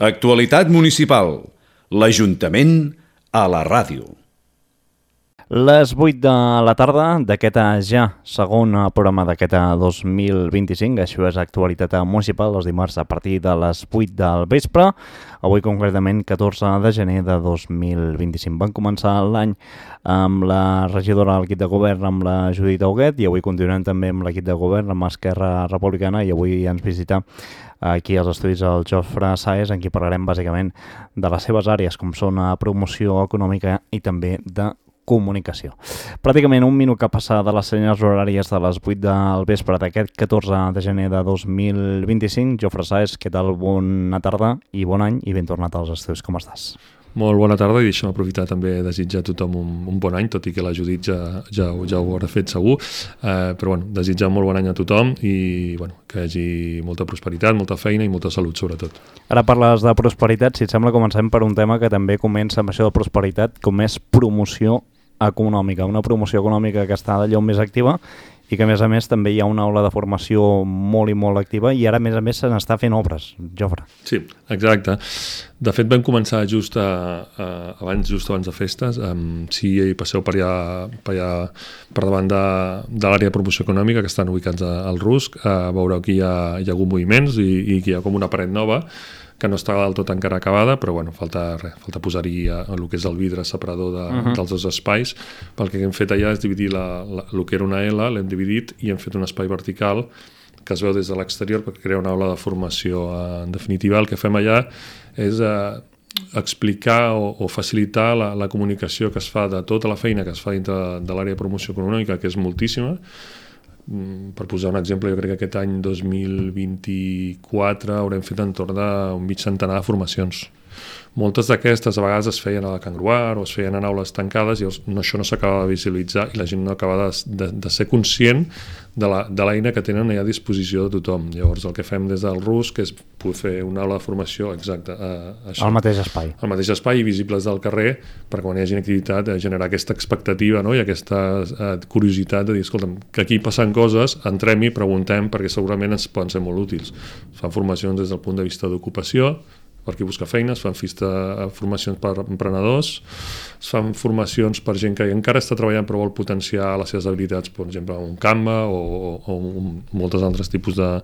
Actualitat municipal. L'Ajuntament a la ràdio. Les 8 de la tarda d'aquest ja segon programa d'aquest 2025, això és Actualitat Municipal, els dimarts a partir de les 8 del vespre, avui concretament 14 de gener de 2025. Van començar l'any amb la regidora de l'equip de govern, amb la Judit Auguet, i avui continuem també amb l'equip de govern, amb Esquerra Republicana, i avui ens visita aquí als estudis el Jofre Sáez, en qui parlarem bàsicament de les seves àrees, com són promoció econòmica i també de comunicació. Pràcticament un minut que passa de les senyals horàries de les 8 del vespre d'aquest 14 de gener de 2025. Jofre Sáez, què tal? Bona tarda i bon any i ben tornat als estudis. Com estàs? Molt bona tarda i deixa'm aprofitar també a desitjar a tothom un bon any, tot i que la Judit ja ho haurà fet segur, però bueno, desitjar molt bon any a tothom i bueno, que hi hagi molta prosperitat, molta feina i molta salut sobretot. Ara parles de prosperitat, si et sembla comencem per un tema que també comença amb això de prosperitat, com és promoció econòmica, una promoció econòmica que està d'allò més activa i que a més també hi ha una aula de formació molt i molt activa i ara a més se n'està fent obres, Jofre. Sí, exacte. De fet vam començar just abans de festes. Si passeu per davant de l'àrea de promoció econòmica, que estan ubicats al RUSC, veureu que hi ha hagut moviments i que hi ha com una paret nova que no està del tot encara acabada, però bueno, falta posar-hi el que és el vidre separador dels dos espais. Pel que hem fet allà és dividir el que era una L, l'hem dividit i hem fet un espai vertical que es veu des de l'exterior per crear una aula de formació. En definitiva, el que fem allà és explicar o facilitar la comunicació que es fa de tota la feina que es fa dintre de l'àrea de promoció econòmica, que és moltíssima. Per posar un exemple, jo crec que aquest any 2024 haurem fet entorn d'un mig centenar de formacions. Moltes d'aquestes a vegades es feien a la Can Gruar o es feien en aules tancades i això no s'acaba de visualitzar i la gent no acaba de ser conscient de l'eina que tenen a disposició de tothom. Llavors el que fem des del RUSC és poder fer una aula de formació exacta. Al mateix espai. Al mateix espai i visibles del carrer perquè quan hi hagi activitat generar aquesta expectativa, no? I aquesta curiositat de dir, escolta'm, que aquí passen coses, entrem-hi, preguntem perquè segurament ens poden ser molt útils. Es fan formacions des del punt de vista d'ocupació, per qui busca feina, es fan formacions per emprenedors, es fan formacions per gent que encara està treballant però vol potenciar les seves habilitats, per exemple, un Canva o molts altres tipus de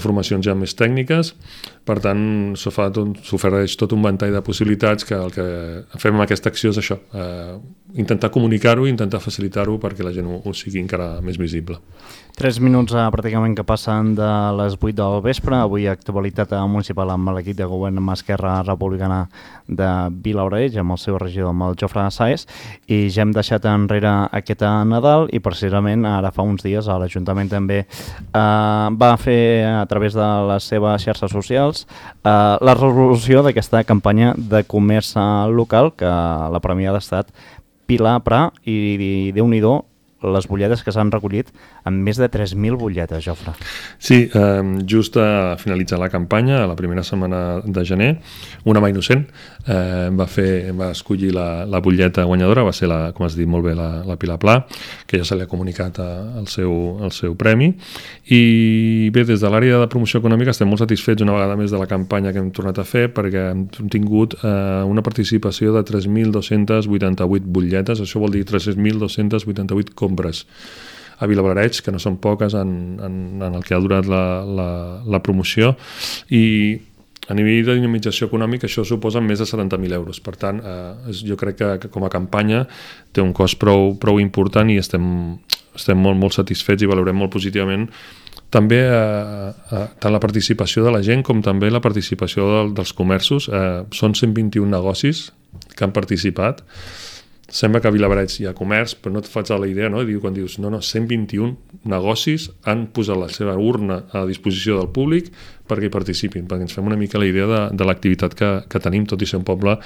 formacions ja més tècniques. Per tant, s'ofereix tot un ventall de possibilitats que el que fem amb aquesta acció és això, intentar comunicar-ho i intentar facilitar-ho perquè la gent ho sigui encara més visible. 3 minuts pràcticament que passen de les 8 del vespre. Avui actualitat municipal amb l'equip de govern amb Esquerra Republicana de Vilaoreig, amb el seu regidor, amb el Jofre Sáez, i ja hem deixat enrere aquest Nadal i precisament ara fa uns dies l'Ajuntament també va fer a través de les seves xarxes socials la resolució d'aquesta campanya de comerç local que la premiada ha estat Pilar Prat i Déu-n'hi-do les butlletes que s'han recollit amb més de 3.000 butlletes, Jofre. Sí, just a finalitzar la campanya, a la primera setmana de gener, una mà innocent va escollir la butlleta guanyadora, va ser, com has dit molt bé, la Pilar Prat, que ja se li ha comunicat el seu premi. I bé, des de l'àrea de promoció econòmica estem molt satisfets una vegada més de la campanya que hem tornat a fer perquè hem tingut una participació de 3.288 butlletes, això vol dir 3.288 compres a Vilaoreig, que no són poques en el que ha durat la promoció, i a nivell de dinamització econòmica això suposa més de 70.000 euros. Per tant, jo crec que com a campanya té un cost prou important i estem molt, molt satisfets i valorem molt positivament també tant la participació de la gent com també la participació dels comerços. Són 121 negocis que han participat. Sembla que a Vilaoreig hi ha comerç, però no et faig la idea, no? Quan dius, 121 negocis han posat la seva urna a disposició del públic perquè hi participin, perquè ens fem una mica la idea de l'activitat que tenim, tot i ser un poble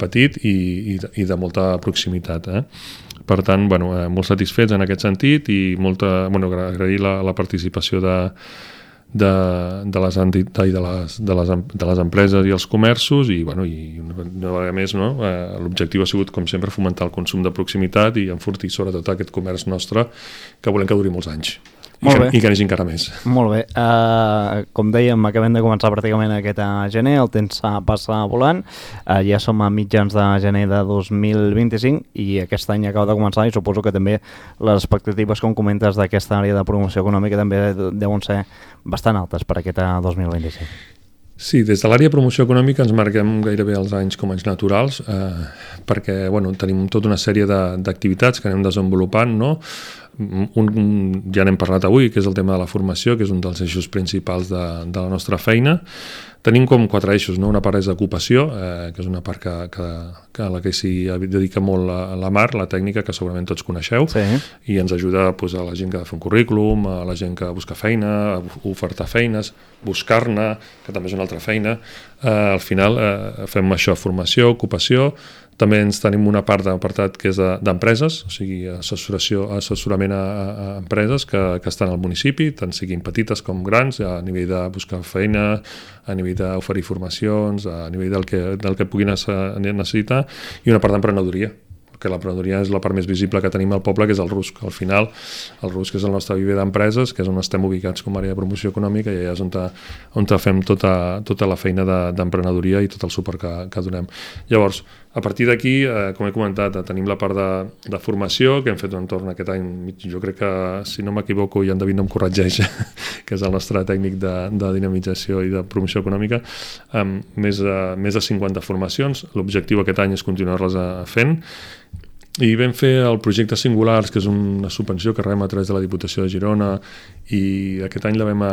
petit i de molta proximitat. Per tant, molt satisfets en aquest sentit i agrair la participació de les entitats, de les empreses i els comerços i una vegada més l'objectiu ha sigut com sempre fomentar el consum de proximitat i enfortir sobretot aquest comerç nostre que volem que duri molts anys i que n'hi encara més. Molt bé. Com dèiem, acabem de començar pràcticament aquest gener, el temps passa volant, ja som a mitjans de gener de 2025 i aquest any acaba de començar i suposo que també les expectatives, com comentes, d'aquesta àrea de promoció econòmica també deuen ser bastant altes per aquest 2025. Sí, des de l'àrea de promoció econòmica ens marquem gairebé els anys com anys naturals perquè tenim tota una sèrie d'activitats que anem desenvolupant, no? Ja n'hem parlat avui, que és el tema de la formació, que és un dels eixos principals de la nostra feina. Tenim com 4 eixos, no? Una part és d'ocupació, que és una part a la que s'hi dedica molt la Mar, la tècnica, que segurament tots coneixeu, sí. I ens ajuda a la gent que ha de fer un currículum, a la gent que busca feina, a ofertar feines, buscar-ne, que també és una altra feina. Al final fem això, formació, ocupació. També ens tenim una part d'apartat que és d'empreses, o sigui, assessorament a empreses que estan al municipi, tant siguin petites com grans, a nivell de buscar feina, a nivell d'oferir formacions, a nivell del que puguin necessitar, i una part d'emprenedoria, que l'emprenedoria és la part més visible que tenim al poble, que és el RUSC. Al final, el RUSC és el nostre viver d'empreses, que és on estem ubicats com a àrea de promoció econòmica, i allà és on fem tota la feina d'emprenedoria i tot el suport que donem. Llavors, a partir d'aquí, com he comentat, tenim la part de formació, que hem fet entorn aquest any, jo crec que, si no m'equivoco, i en David no em corregeix, que és el nostre tècnic de dinamització i de promoció econòmica, amb més de 50 formacions. L'objectiu aquest any és continuar-les fent. I vam fer el projecte Singulars, que és una subvenció que rebem a través de la Diputació de Girona, i aquest any la vam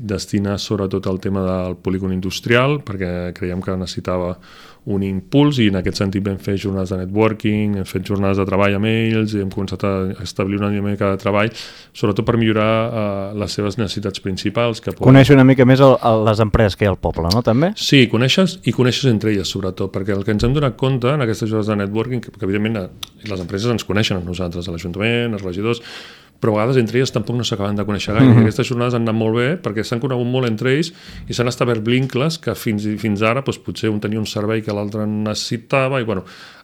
destinar sobretot al tema del polígon industrial, perquè creiem que necessitava un impuls, i en aquest sentit vam fer jornades de networking, hem fet jornades de treball amb ells, i hem començat a establir una dinàmica de treball, sobretot per millorar les seves necessitats principals. Conèixer una mica més les empreses que hi ha al poble, no, també? Sí, coneixes entre elles, sobretot, perquè el que ens hem donat compte en aquestes jornades de networking, que evidentment les empreses ens coneixen a nosaltres, a l'Ajuntament, als regidors, però a vegades entre elles tampoc no s'acaben de conèixer gaire. Aquestes jornades han anat molt bé perquè s'han conegut molt entre ells i s'han establert vincles que fins ara potser un tenia un servei que l'altre necessitava, i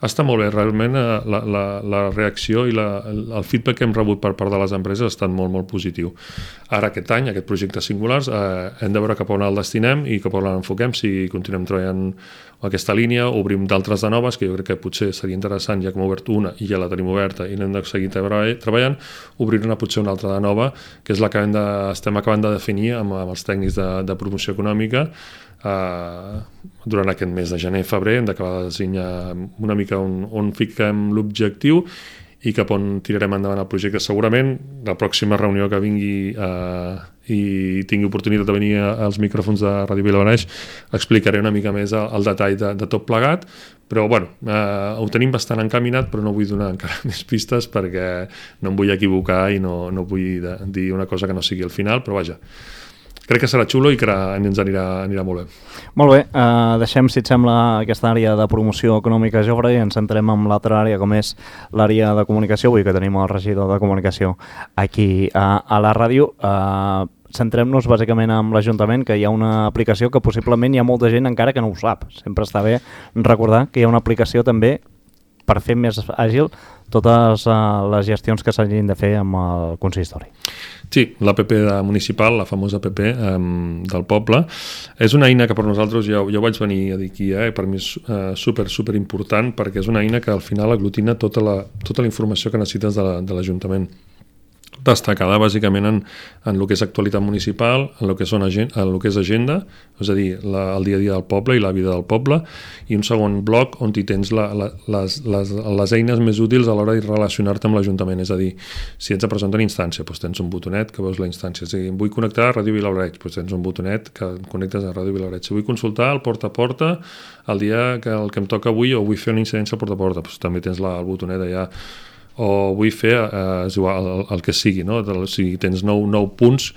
està molt bé. Realment la reacció i el feedback que hem rebut per part de les empreses ha estat molt, molt positiu. Ara aquest any, aquest projecte Singulars, hem de veure cap on el destinem i cap on l'enfoquem, si continuem treballant aquesta línia, obrim d'altres de noves, que jo crec que potser seria interessant, ja que hem obert una i ja la tenim oberta i n'hem de seguir treballant, obrir-ne potser una altra de nova, que és la que estem acabant de definir amb els tècnics de promoció econòmica. Durant aquest mes de gener-febrer hem d'acabar de designar una mica on fiquem l'objectiu i cap on tirarem endavant el projecte. Segurament la pròxima reunió que vingui i tingui oportunitat de venir als micròfons de Ràdio Vilablareix explicaré una mica més el detall de tot plegat, però ho tenim bastant encaminat, però no vull donar encara més pistes perquè no em vull equivocar i no vull dir una cosa que no sigui al final, però vaja, crec que serà xulo i que ens anirà molt bé. Molt bé, deixem, si et sembla, aquesta àrea de promoció econòmica, Jofre, i ens centrem en l'altra àrea, com és l'àrea de comunicació. Avui que tenim el regidor de comunicació aquí a la ràdio. Centrem-nos bàsicament en l'Ajuntament, que hi ha una aplicació que possiblement hi ha molta gent encara que no ho sap. Sempre està bé recordar que hi ha una aplicació també per fer més àgil totes les gestions que s'hagin de fer amb el consistori. Sí, l'APP municipal, la famosa APP del poble, és una eina que per nosaltres, ja ho vaig venir a dir aquí, per mi és super important, perquè és una eina que al final aglutina tota la informació que necessites de l'Ajuntament. Destacada bàsicament en el que és actualitat municipal, en el que és agenda, és a dir, el dia a dia del poble i la vida del poble, i un segon bloc on hi tens les eines més útils a l'hora de relacionar-te amb l'Ajuntament. És a dir, si ets a presentar una instància, tens un botonet que veus la instància. És a dir, vull connectar a Ràdio Vilablareix, tens un botonet que connectes a Ràdio Vilablareix. Si vull consultar el porta a porta el dia que em toca avui, o vull fer una incidència al porta a porta, també tens el botonet allà. O vull fer el que sigui, no? Si tens 9 punts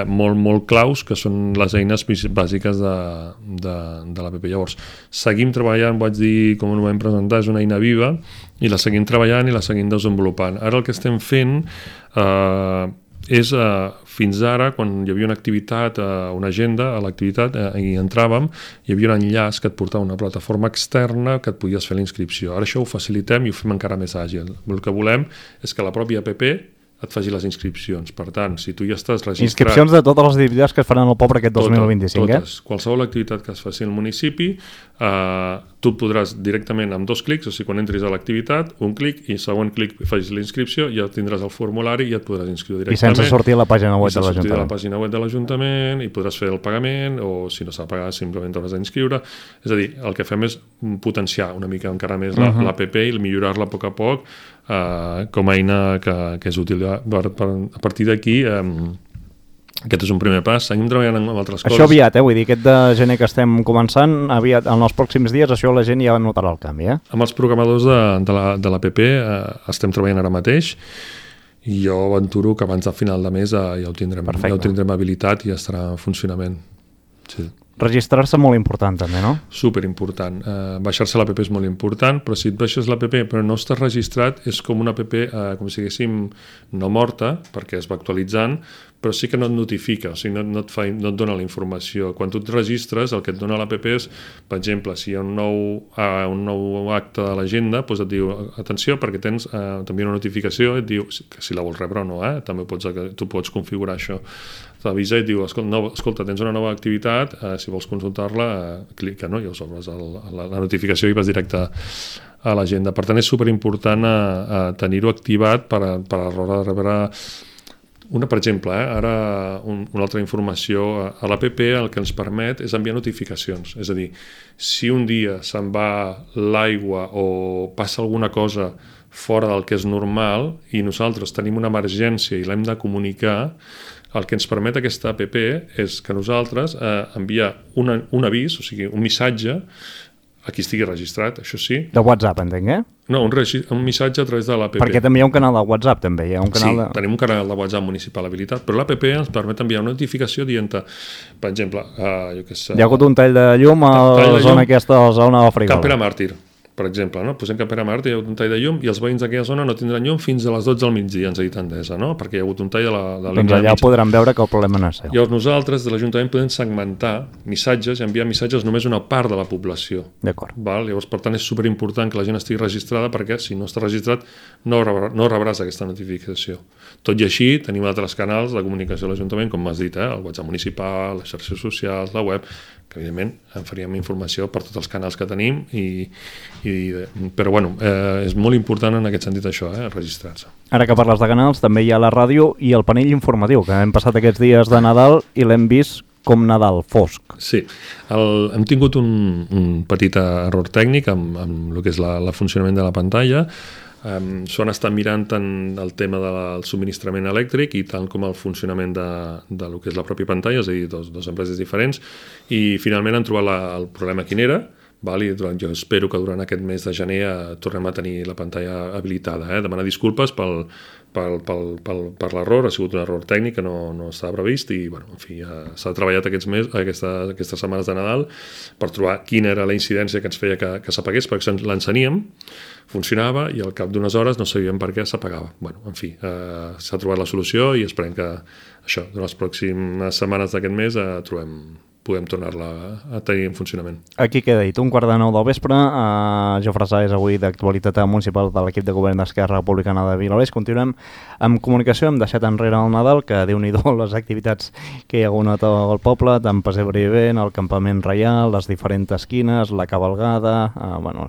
molt claus, que són les eines bàsiques de l'APP. Llavors, seguim treballant, vaig dir, com ho vam presentar, és una eina viva, i la seguim treballant i la seguim desenvolupant. Ara el que estem fent és, fins ara, quan hi havia una activitat, una agenda a l'activitat, i entràvem, hi havia un enllaç que et portava a una plataforma externa que et podies fer la inscripció. Ara això ho facilitem i ho fem encara més àgil. El que volem és que la pròpia app et faci les inscripcions. Per tant, si tu ja estàs registrat... Inscripcions de totes les activitats que es faran al poble aquest 2025, totes. Qualsevol activitat que es faci al municipi, tu podràs directament amb 2 clics, o sigui, quan entris a l'activitat, un clic i següent clic facis la inscripció, ja tindràs el formulari i ja et podràs inscriure directament. I sense sortir a la pàgina web de l'Ajuntament. Sense sortir a la pàgina web de l'Ajuntament i podràs fer el pagament o si no s'ha de pagar simplement t'hauràs d'inscriure. És a dir, el que fem és potenciar una mica encara més l'APP i millorar-la a poc a poc com a eina que és útil. A partir d'aquí aquest és un primer pas. Seguim treballant amb altres coses. Això aviat, vull dir, aquest de gener que estem començant, aviat, en els pròxims dies, això la gent ja notarà el canvi, Amb els programadors de l'APP estem treballant ara mateix i jo aventuro que abans del final de mes ja ho tindrem habilitat i ja estarà en funcionament. Sí. Registrar-se molt important també, no? Superimportant. Baixar-se l'APP és molt important, però si et baixes l'APP però no estàs registrat, és com una APP, com si diguéssim, no morta, perquè es va actualitzant, però sí que no et notifica, o sigui, no et dona la informació. Quan tu et registres, el que et dona l'APP és, per exemple, si hi ha un nou acte de l'agenda, doncs et diu, atenció, perquè tens també una notificació, et diu que si la vols rebre o no, també tu pots configurar això. T'avisa i et diu, escolta, tens una nova activitat, si vols consultar-la, clica, no? I llavors obres la notificació i vas directe a l'agenda. Per tant, és superimportant tenir-ho activat per a l'hora de rebre... Per exemple, ara una altra informació, a l'APP el que ens permet és enviar notificacions. És a dir, si un dia se'n va l'aigua o passa alguna cosa fora del que és normal i nosaltres tenim una emergència i l'hem de comunicar, el que ens permet aquesta APP és que nosaltres enviar un avís, o sigui, un missatge a qui estigui registrat, això sí. De WhatsApp, entenc, No, un missatge a través de l'APP. Perquè també hi ha un canal de WhatsApp, també. Hi ha un canal tenim un canal de WhatsApp municipal habilitat, però l'APP ens permet enviar una notificació dient, per exemple, jo què sé... Hi ha hagut un tall de llum a la zona aquesta, a la zona de Frigola. Can Pere Màrtir, per exemple, no? Posem Can Pere Màrtir, hi ha hagut un tall de llum i els veïns d'aquella zona no tindran llum fins a les 12 del migdia, ens ha dit Endesa, no? Perquè hi ha hagut un tall de la línia doncs allà podran veure que el problema no és seu. Llavors nosaltres, de l'Ajuntament, podem segmentar missatges i enviar missatges només a una part de la població. D'acord. Llavors, per tant, és superimportant que la gent estigui registrada perquè si no està registrat no rebràs aquesta notificació. Tot i així, tenim altres canals de comunicació de l'Ajuntament, com m'has dit, el WhatsApp municipal, les xarxes socials, la web, que evidentment en faríem informació per tots els canals que tenim però bueno, és molt important en aquest sentit això, registrar-se. Ara que parles de canals, també hi ha la ràdio i el panell informatiu, que hem passat aquests dies de Nadal i l'hem vist com Nadal fosc. Sí, hem tingut un petit error tècnic amb el que és el funcionament de la pantalla. S'ho han estat mirant tant el tema del subministrament elèctric i tant com el funcionament de lo que és la pròpia pantalla, és a dir, dos empreses diferents, i finalment han trobat el problema quin era. Jo espero que durant aquest mes de gener tornem a tenir la pantalla habilitada. Demanar disculpes per l'error, ha sigut un error tècnic que no estava previst i en fi, s'ha treballat aquestes setmanes de Nadal per trobar quina era la incidència que ens feia que s'apagués, perquè l'enceníem, funcionava i al cap d'unes hores no sabíem per què s'apagava. En fi, s'ha trobat la solució i esperem que això, durant les pròximes setmanes d'aquest mes podem tornar-la a tenir en funcionament. Aquí queda dit, 8:45 del vespre, Jofre Sá és avui d'actualitat municipal de l'equip de govern d'Esquerra Republicana de Vilavés. Continuem amb comunicació, hem deixat enrere el Nadal, que déu-n'hi-do les activitats que hi ha hagut al poble, tant pessebre i vent, el campament reial, les diferents esquines, la cabalgada,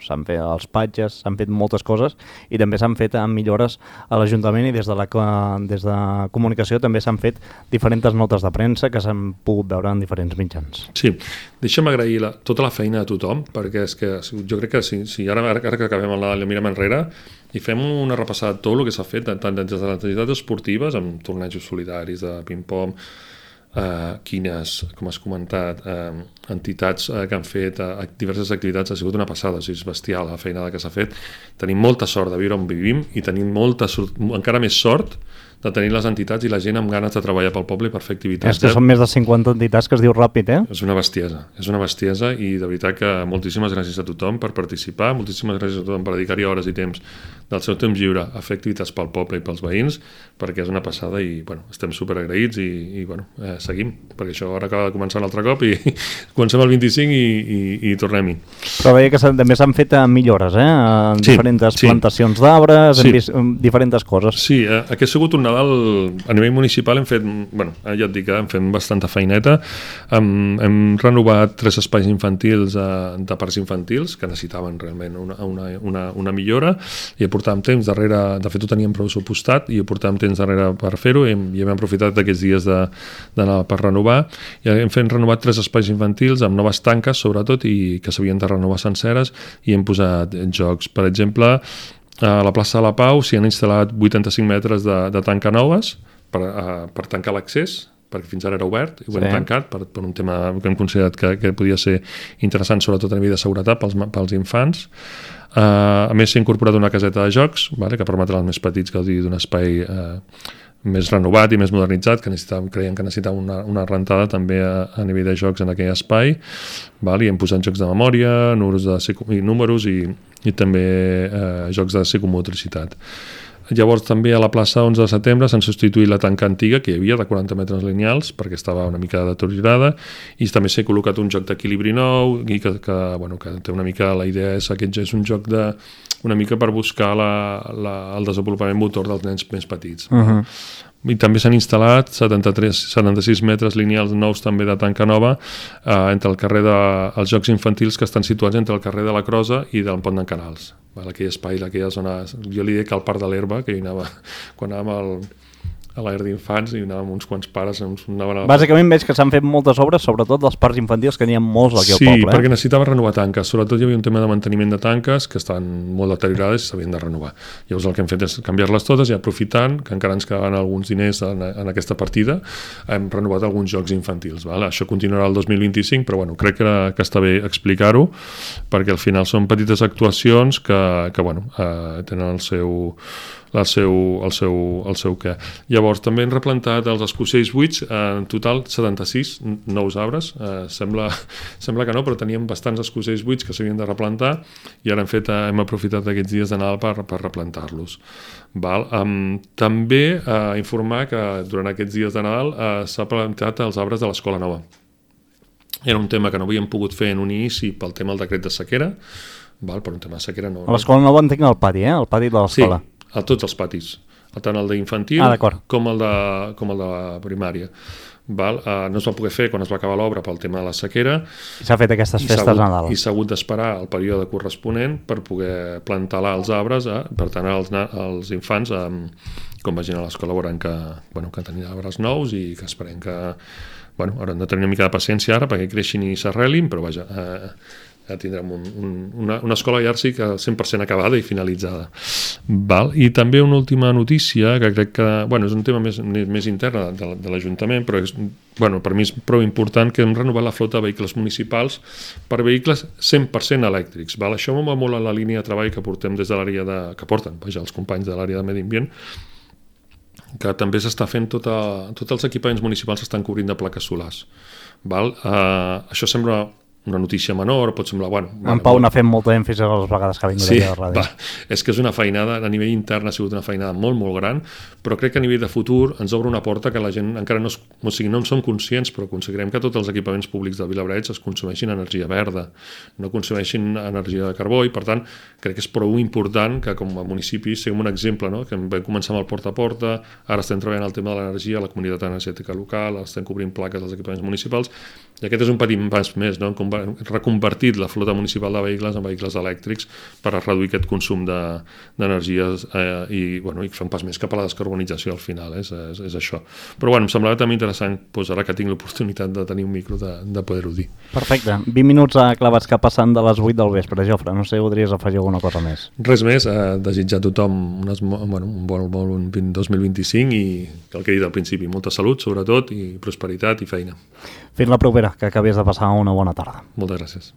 s'han fet els patges, s'han fet moltes coses i també s'han fet millores a l'Ajuntament i des de comunicació també s'han fet diferents notes de premsa que s'han pogut veure en diferents mitjans. Sí, deixa'm agrair tota la feina a tothom, perquè és que jo crec que si ara que acabem el Nadal i mirem enrere i fem una repassada de tot el que s'ha fet, tant des de les entitats esportives, amb tornejos solidaris de ping-pong, quines, com has comentat, entitats que han fet diverses activitats, ha sigut una passada, és bestial la feina que s'ha fet. Tenim molta sort de viure on vivim i tenim encara més sort de tenir les entitats i la gent amb ganes de treballar pel poble i per fer activitats. És que són més de 50 entitats que es diu ràpid, És una bestiesa i de veritat que moltíssimes gràcies a tothom per participar, moltíssimes gràcies a tothom per dedicar-hi hores i temps del seu temps lliure a fer activitats pel poble i pels veïns, perquè és una passada i estem superagraïts i seguim, perquè això ara acaba de començar un altre cop i comencem el 25 i tornem-hi. Però veia que també s'han fet millores, en diferents plantacions d'arbres, hem vist diferents coses. Sí, aquest ha sigut un Nadal, a nivell municipal hem fet, bueno, ja et dic que hem fet bastanta feineta, hem renovat 3 espais infantils de parcs infantils que necessitaven realment una millora i portàvem temps darrere, de fet ho teníem pressupostat i portàvem temps darrere per fer-ho i hem aprofitat d'aquests dies d'anar per renovar i hem renovat 3 espais infantils amb noves tanques sobretot i que s'havien de renovar senceres i hem posat jocs, per exemple a la plaça de la Pau s'hi han instal·lat 85 metres de tanca noves per tancar l'accés perquè fins ara era obert i ho hem tancat per un tema que hem considerat que podia ser interessant sobretot a nivell de seguretat pels infants. A més s'ha incorporat una caseta de jocs que permetrà als més petits gaudir d'un espai més renovat i més modernitzat que creiem que necessitava una rentada també a nivell de jocs en aquell espai i hem posat jocs de memòria, números i també jocs de psicomotricitat. Llavors també a la plaça 11 de setembre s'han substituït la tanca antiga que hi havia de 40 metres lineals perquè estava una mica deteriorada i també s'ha col·locat un joc d'equilibri nou i que té una mica, la idea és aquest és un joc una mica per buscar el desenvolupament motor dels nens més petits. I també s'han instal·lat 76 metres lineals nous també de tanca nova entre el carrer dels Jocs Infantils que estan situats entre el carrer de la Crosa i del Pont d'en Canals. Aquell espai, aquella zona, jo li dic al Parc de l'Herba, que hi anava quan anàvem a l'Aire d'Infants i anàvem uns quants pares. Bàsicament veig que s'han fet moltes obres, sobretot dels parcs infantils, que n'hi ha molts aquí al poble. Sí, perquè necessitava renovar tanques. Sobretot hi havia un tema de manteniment de tanques que estan molt deteriorades i s'havien de renovar. Llavors el que hem fet és canviar-les totes i aprofitant que encara ens quedaven alguns diners en aquesta partida, hem renovat alguns jocs infantils. Això continuarà el 2025, però crec que està bé explicar-ho, perquè al final són petites actuacions que tenen el seu què. Llavors també hem replantat els escocells buits, en total 76 nous arbres, sembla que no, però teníem bastants escocells buits que s'havien de replantar i ara hem aprofitat aquests dies de Nadal per replantar-los. També informar que durant aquests dies de Nadal s'ha plantat els arbres de l'Escola Nova. Era un tema que no havíem pogut fer en un inici pel tema del decret de sequera, per un tema de sequera no. A l'Escola Nova entenc el pati, el pati de l'escola. Sí, a tots els patis, tant el d'infantil com el de primària. No es va poder fer quan es va acabar l'obra pel tema de la sequera. I s'ha fet aquestes festes de Nadal. I s'ha hagut d'esperar el període corresponent per poder plantar els arbres, per tant els infants, com vagin a l'escola veuran que tenien arbres nous i que esperem que hauran de tenir una mica de paciència ara perquè creixin i s'arrelin, però ja tindrem una escola ja sí que 100% acabada i finalitzada. I també una última notícia que crec que és un tema més intern de l'Ajuntament, però per mi és prou important que hem renovat la flota de vehicles municipals per vehicles 100% elèctrics. Això m'ho va molt en la línia de treball que portem des de l'àrea que porten els companys de l'àrea de Medi Ambient, que també s'està fent tots els equipaments municipals s'estan cobrint de plaques solars. Això sembla una notícia menor, pot semblar... En Pau n'ha fet molta èmfasi a les vegades que ha vingut aquí a la ràdio. És que és una feinada, a nivell intern ha sigut una feinada molt, molt gran, però crec que a nivell de futur ens obre una porta que la gent encara no en som conscients, però aconseguirem que tots els equipaments públics del Vilablareix es consumeixin energia verda, no consumeixin energia de carbó, i per tant crec que és prou important que com a municipi siguem un exemple, que vam començar amb el porta a porta, ara estem treballant el tema de l'energia, la comunitat energètica local, estem cobrint plaques als equipaments municipals, i aquest és un petit pas més, reconvertit la flota municipal de vehicles en vehicles elèctrics per reduir aquest consum d'energies i fer un pas més cap a la descarbonització al final, és això. Però em semblava també interessant, ara que tinc l'oportunitat de tenir un micro, de poder-ho dir. Perfecte. 20 minuts clavats que passen de les 8 del vespre, Jofre. No sé, voldries afegir alguna cosa més? Res més, desitjar a tothom un bon 2025 i el que he dit al principi, molta salut sobretot i prosperitat i feina. Fins la propera, que acabis de passar una bona tarda. Moltes gràcies.